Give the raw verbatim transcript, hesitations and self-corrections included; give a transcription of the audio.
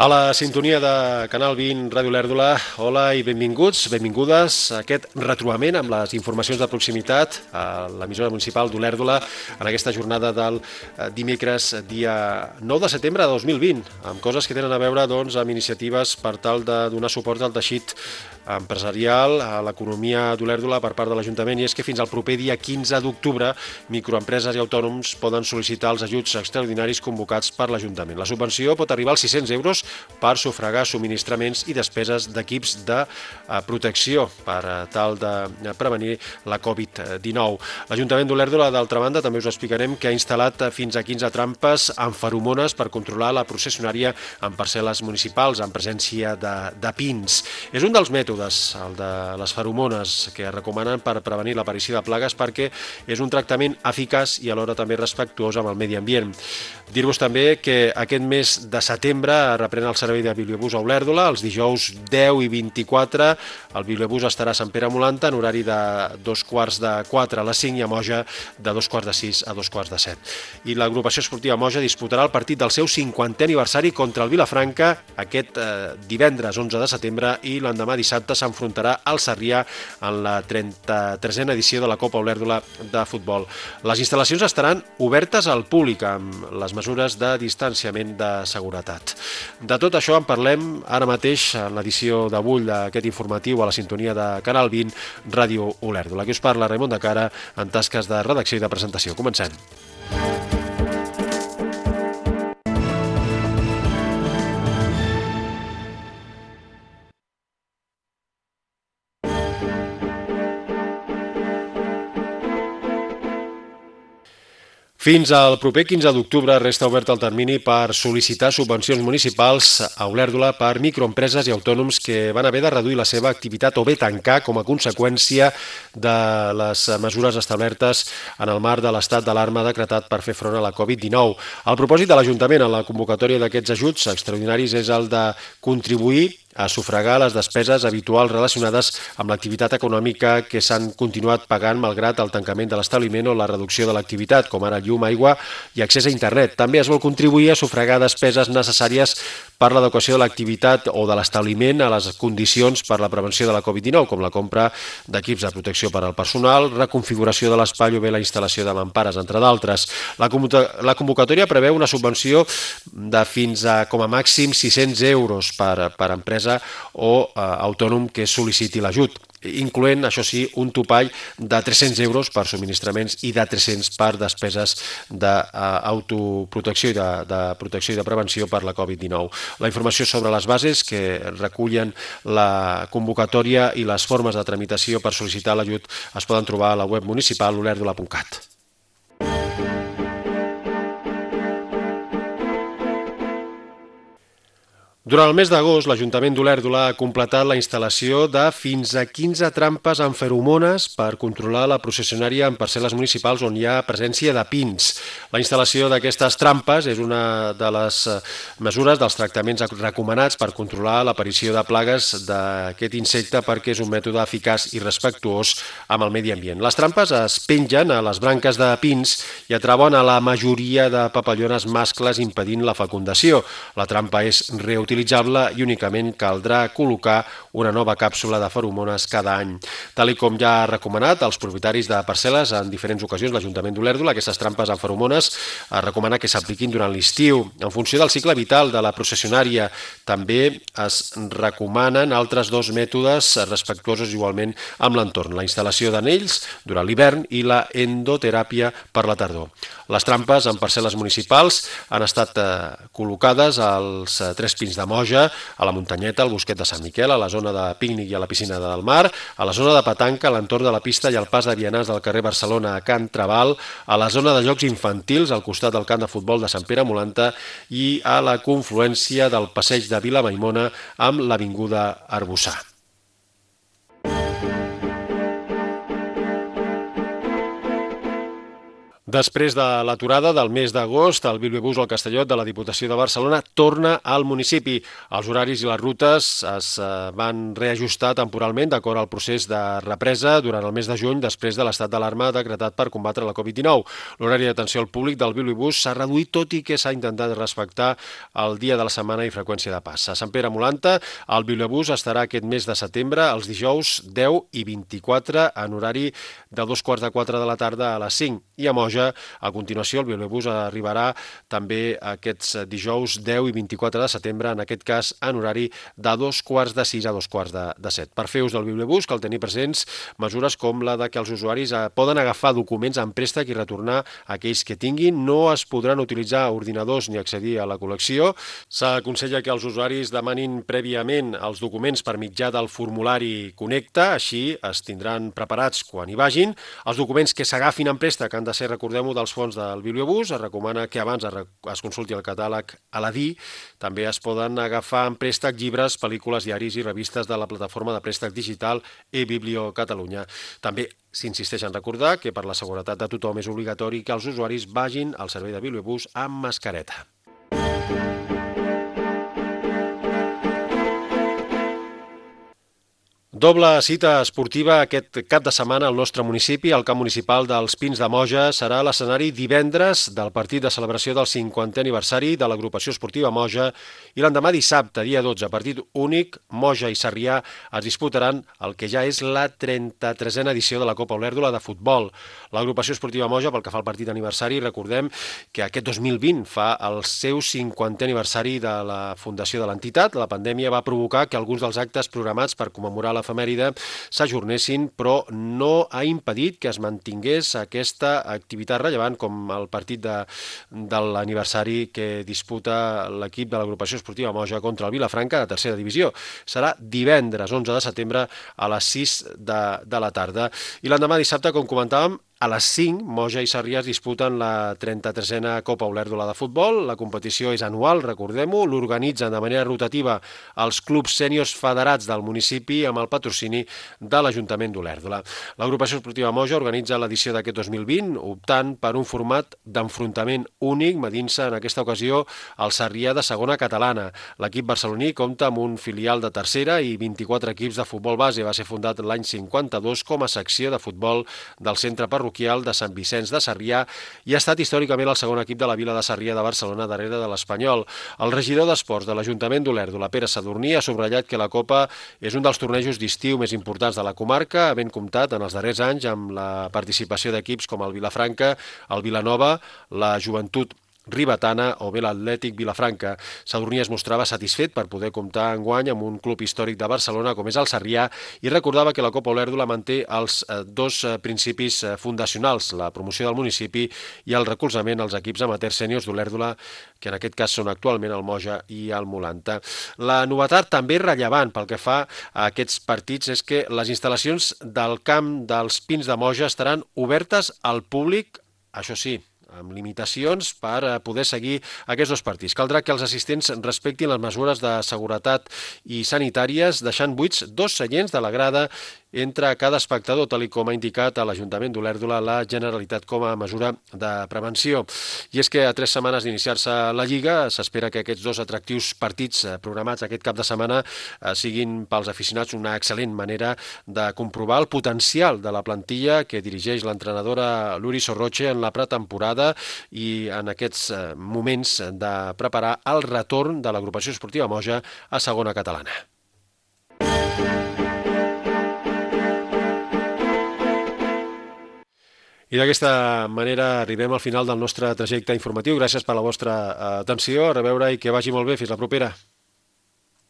A la sintonia de Canal vint, Ràdio Olèrdola, hola i benvinguts, benvingudes a aquest retrobament amb les informacions de proximitat a l'emissora municipal d'Olèrdola en aquesta jornada del dimecres dia nou de setembre de dos mil vint, amb coses que tenen a veure doncs, amb iniciatives per tal de donar suport al teixit empresarial, a l'economia d'Olèrdola per part de l'Ajuntament, i és que fins al proper dia quinze d'octubre microempreses i autònoms poden sol·licitar els ajuts extraordinaris convocats per l'Ajuntament. La subvenció pot arribar als sis-cents euros per sufragar subministraments i despeses d'equips de protecció per tal de prevenir la covid dinou. L'Ajuntament d'Olèrdola, d'altra banda, també us explicarem que ha instal·lat fins a quinze trampes amb feromones per controlar la processionària en parcel·les municipals en presència de, de pins. És un dels mètodes, el de les feromones, que es recomanen per prevenir l'aparició de plagues perquè és un tractament eficaç i alhora també respectuós amb el medi ambient. Dir-vos també que aquest mes de setembre reprèn el servei de bibliobús a Olèrdola. Els dijous deu i vint-i-quatre el bibliobús estarà a Sant Pere Molanta en horari de dos quarts de quatre a les cinc i a Moja de dos quarts de sis a dos quarts de set. I l'agrupació esportiva Moja disputarà el partit del seu cinquantè aniversari contra el Vilafranca aquest eh, divendres onze de setembre i l'endemà dissabte s'enfrontarà al Sarrià en la trenta-tresena edició de la Copa Olèrdola de futbol. Les instal·lacions estaran obertes al públic amb les mesures de distanciament de seguretat. De tot això en parlem ara mateix en l'edició d'avui d'aquest informatiu a la sintonia de Canal vint, Ràdio Olèrdola. Aquí us parla Raimon de Cara en tasques de redacció i de presentació. Comencem. Fins al proper quinze d'octubre resta obert el termini per sol·licitar subvencions municipals a Olèrdola per microempreses i autònoms que van haver de reduir la seva activitat o bé tancar com a conseqüència de les mesures establertes en el marc de l'estat d'alarma decretat per fer front a la covid dinou. El propòsit de l'Ajuntament en la convocatòria d'aquests ajuts extraordinaris és el de contribuir a sufragar les despeses habituals relacionades amb l'activitat econòmica que s'han continuat pagant malgrat el tancament de l'establiment o la reducció de l'activitat, com ara llum, aigua i accés a internet. També es vol contribuir a sufragar despeses necessàries per l'adequació de l'activitat o de l'establiment a les condicions per la prevenció de la covid dinou, com la compra d'equips de protecció per al personal, reconfiguració de l'espai o bé la instal·lació de mampares, entre d'altres. La convocatòria preveu una subvenció de fins a com a màxim sis-cents euros per, per empresa o eh, autònom que sol·liciti l'ajut, incloent, això sí, un topall de tres-cents euros per subministraments i de tres-cents per despeses d'autoprotecció i de, de protecció i de prevenció per la covid dinou. La informació sobre les bases que recullen la convocatòria i les formes de tramitació per sol·licitar l'ajut es poden trobar a la web municipal olèrdola punt cat. Durant el mes d'agost, l'Ajuntament d'Olèrdola ha completat la instal·lació de fins a quinze trampes amb feromones per controlar la processionària en parcel·les municipals on hi ha presència de pins. La instal·lació d'aquestes trampes és una de les mesures dels tractaments recomanats per controlar l'aparició de plagues d'aquest insecte perquè és un mètode eficaç i respectuós amb el medi ambient. Les trampes es pengen a les branques de pins i atrauen a la majoria de papallones mascles impedint la fecundació. La trampa és reutilitzable i únicament caldrà col·locar una nova càpsula de feromones cada any. Tal i com ja ha recomanat als propietaris de parcel·les en diferents ocasions l'Ajuntament d'Olèrdola, aquestes trampes amb feromones es recomana que s'apliquin durant l'estiu. En funció del cicle vital de la processionària també es recomanen altres dos mètodes respectuosos igualment amb l'entorn, la instal·lació d'anells durant l'hivern i la endoteràpia per la tardor. Les trampes en parcel·les municipals han estat eh, col·locades als eh, tres pins de Moja, a la Muntanyeta, al Bosquet de Sant Miquel, a la zona de pícnic i a la piscina del mar, a la zona de petanca, a l'entorn de la pista i al pas de vianants del carrer Barcelona a Can Trabal, a la zona de jocs infantils al costat del camp de futbol de Sant Pere Molanta i a la confluència del passeig de Vila Maimona amb l'avinguda Arbussà. Després de l'aturada del mes d'agost, el Bilbobús al Castellot de la Diputació de Barcelona torna al municipi. Els horaris i les rutes es van reajustar temporalment d'acord al procés de represa durant el mes de juny després de l'estat d'alarma decretat per combatre la covid dinou. L'horari d'atenció al públic del Bilbobús s'ha reduït, tot i que s'ha intentat respectar el dia de la setmana i freqüència de pas. A Sant Pere Molanta, el Bilbobús estarà aquest mes de setembre els dijous deu i vint-i-quatre en horari de dos quarts de quatre de la tarda a les cinc, i a Moja, a continuació, el Bilbobús arribarà també aquests dijous deu i vint-i-quatre de setembre, en aquest cas en horari de dos quarts de sis a dos quarts de, de set. Per fer ús del Bilbobús cal tenir presents mesures com la de que els usuaris poden agafar documents en préstec i retornar aquells que tinguin. No es podran utilitzar ordinadors ni accedir a la col·lecció. S'aconsella que els usuaris demanin prèviament els documents per mitjà del formulari Connecta, així es tindran preparats quan hi vagin. Els documents que s'agafin en préstec han de ser, recordem-ho, dels fons del Bilbobús. Es recomana que abans es consulti el catàleg a l'A D I. També es poden agafar en préstec llibres, pel·lícules, diaris i revistes de la plataforma de préstec digital eBiblio Catalunya. També s'insisteix en recordar que per la seguretat de tothom és obligatori que els usuaris vagin al servei de Bilbobús amb mascareta. Doble cita esportiva aquest cap de setmana al nostre municipi. El camp municipal dels Pins de Moja serà l'escenari divendres del partit de celebració del cinquantè aniversari de l'agrupació esportiva Moja, i l'endemà dissabte, dia dotze, partit únic, Moja i Sarrià es disputaran el que ja és la trenta-tresena edició de la Copa Olèrdola de futbol. L'agrupació esportiva Moja, pel que fa al partit d'aniversari, recordem que aquest dos mil vint fa el seu cinquantè aniversari de la fundació de l'entitat. La pandèmia va provocar que alguns dels actes programats per commemorar la efemèride s'ajornessin, però no ha impedit que es mantingués aquesta activitat rellevant com el partit de, de l'aniversari que disputa l'equip de l'agrupació esportiva Moja contra el Vilafranca de tercera divisió. Serà divendres onze de setembre a les sis de, de la tarda. I l'endemà dissabte, com comentàvem, a les cinc, Moja i Sarrià es disputen la trenta-tresena Copa Olèrdola de futbol. La competició és anual, recordem-ho, l'organitzen de manera rotativa els clubs sèniors federats del municipi amb el patrocini de l'Ajuntament d'Olèrdola. L'agrupació esportiva Moja organitza l'edició d'aquest dos mil vint, optant per un format d'enfrontament únic, medint-se en aquesta ocasió el Sarrià de segona catalana. L'equip barceloní compta amb un filial de tercera i vint-i-quatre equips de futbol base. Va ser fundat l'any cinquanta-dos com a secció de futbol del centre parroquial de Sant Vicenç de Sarrià i ha estat històricament el segon equip de la vila de Sarrià de Barcelona darrere de l'Espanyol. El regidor d'Esports de l'Ajuntament d'Olèrdola, Pere Sadurní, ha subratllat que la Copa és un dels tornejos d'estiu més importants de la comarca, havent comptat en els darrers anys amb la participació d'equips com el Vilafranca, el Vilanova, la Joventut Ribetana o bé l'Atlètic Vilafranca. Sadurní es mostrava satisfet per poder comptar enguany amb un club històric de Barcelona com és el Sarrià i recordava que la Copa Olèrdola manté els dos principis fundacionals, la promoció del municipi i el recolzament als equips amateurs sèniors d'Olèrdola, que en aquest cas són actualment el Moja i el Molanta. La novetat també rellevant pel que fa a aquests partits és que les instal·lacions del camp dels Pins de Moja estaran obertes al públic, això sí, amb limitacions per poder seguir aquests dos partits. Caldrà que els assistents respectin les mesures de seguretat i sanitàries, deixant buits dos seients de la grada entre cada espectador, tal com ha indicat a l'Ajuntament d'Olèrdola la Generalitat com a mesura de prevenció. I és que a tres setmanes d'iniciar-se la Lliga s'espera que aquests dos atractius partits programats aquest cap de setmana siguin pels aficionats una excel·lent manera de comprovar el potencial de la plantilla que dirigeix l'entrenadora Luri Sorroche en la pretemporada i en aquests moments de preparar el retorn de l'agrupació esportiva Moja a segona catalana. I d'aquesta manera arribem al final del nostre trajecte informatiu. Gràcies per la vostra atenció. A reveure i que vagi molt bé. Fins la propera.